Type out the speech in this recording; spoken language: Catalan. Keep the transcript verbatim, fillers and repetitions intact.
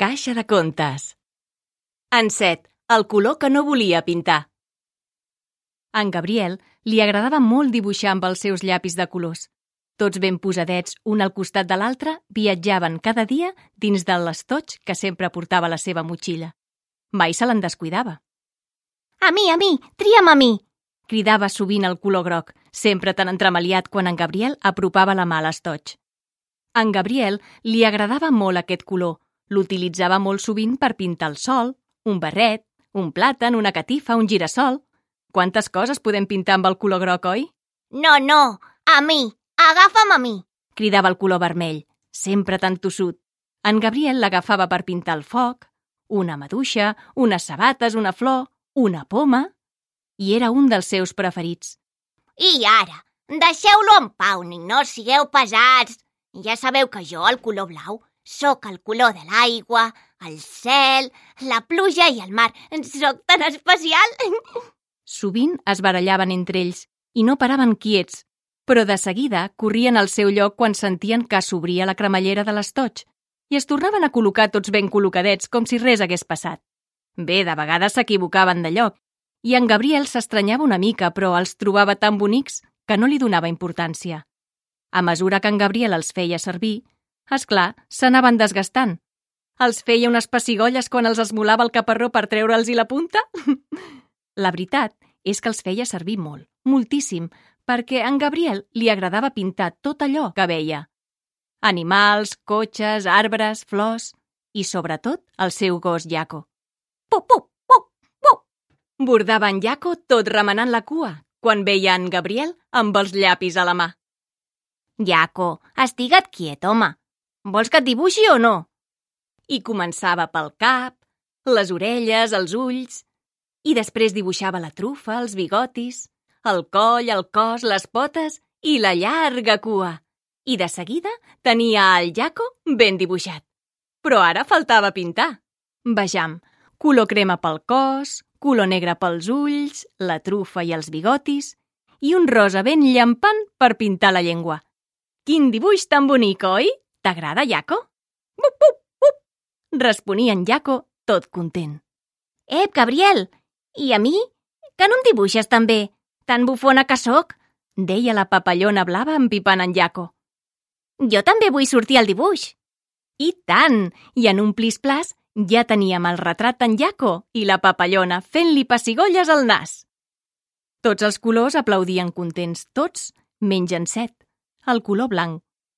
caixa de contes. Encet, el color que no volia pintar. A en Gabriel li agradava molt dibuixar amb els seus llapis de colors. Tots ben posadets, un al costat de l'altre, viatjaven cada dia dins del estoig que sempre portava a la seva motxilla. Mai se l'en descuidava. A mi, a mi, tria'm a mi! Cridava sovint el color groc, sempre tan entremaliat quan en Gabriel apropava la mà a l'estoig. A en Gabriel li agradava molt aquest color. L'utilitzava molt sovint per pintar el sol, un barret, un plàtan, una catifa, un girassol. Quantes coses podem pintar amb el color groc, oi? No, no, a mi! Agafa'm a mi! Cridava el color vermell, sempre tan tossut. En Gabriel l'agafava per pintar el foc, una maduixa, unes sabates, una flor, una poma... I era un dels seus preferits. I ara, deixeu-lo en pau, ni no sigueu pesats. Ja sabeu que jo, el color blau, sóc el color de l'aigua, el cel, la pluja i el mar. Sóc tan especial! Sovint es barallaven entre ells i no paraven quiets, però de seguida corrien al seu lloc quan sentien que s'obria la cremallera de l'estoig i es tornaven a col·locar tots ben col·locadets com si res hagués passat. Bé, de vegades s'equivocaven de lloc i en Gabriel s'estranyava una mica, però els trobava tan bonics que no li donava importància. A mesura que en Gabriel els feia servir, esclar, s'anaven desgastant. Els feia unes pessigolles quan els esmolava el caparró per treure'ls-hi la punta? La veritat és que els feia servir molt, moltíssim, perquè a en Gabriel li agradava pintar tot allò que veia. Animals, cotxes, arbres, flors i, sobretot, el seu gos Jaco. Pup, pup, pup, pup! Bordava en Jaco tot remenant la cua quan veia en Gabriel amb els llapis a la mà. Jaco, estigue't quiet, home. Vols que et dibuixi o no? I començava pel cap, les orelles, els ulls, i després dibuixava la trufa, els bigotis, el coll, el cos, les potes i la llarga cua. I de seguida tenia el Jaco ben dibuixat. Però ara faltava pintar. Vejam, color crema pel cos, color negre pels ulls, la trufa i els bigotis, i un rosa ben llampant per pintar la llengua. Quin dibuix tan bonic, oi? T'agrada, Jaco? Bup, bup, bup! Responia en Jaco tot content. Ep, Gabriel! I a mi? Que no em dibuixes tan bé? Tan bufona que sóc? Deia la papallona blava empipant en Jaco. Jo també vull sortir al dibuix. I tant! I en un plis-plas ja teníem el retrat d'en Jaco i la papallona fent-li pessigolles al nas. Tots els colors aplaudien contents, tots menys Encet, el color blanc.